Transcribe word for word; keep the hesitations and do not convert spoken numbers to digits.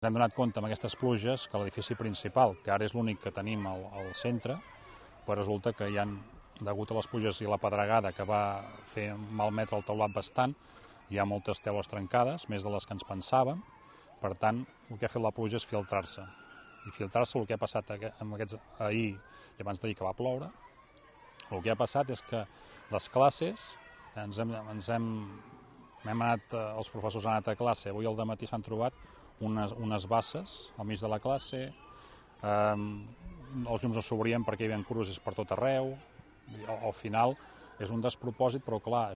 Ens hem donat compte amb aquestes pluges que l'edifici principal, que ara és l'únic que tenim al, al centre, però resulta que hi ha, degut a les pluges i la pedregada que va fer malmetre el teulat bastant, hi ha moltes teules trencades, més de les que ens pensàvem. Per tant, el que ha fet la pluja és filtrar-se. I filtrar-se el que ha passat amb aquests ahir i abans d'ahir que va ploure, el que ha passat és que les classes, ens hem, ens hem, hem anat, els professors han anat a classe, avui al dematí s'han trobat unes, unes basses al mig de la classe, eh, els llums no s'obrien perquè hi havia crucis per tot arreu, i al, al final és un despropòsit, però clar,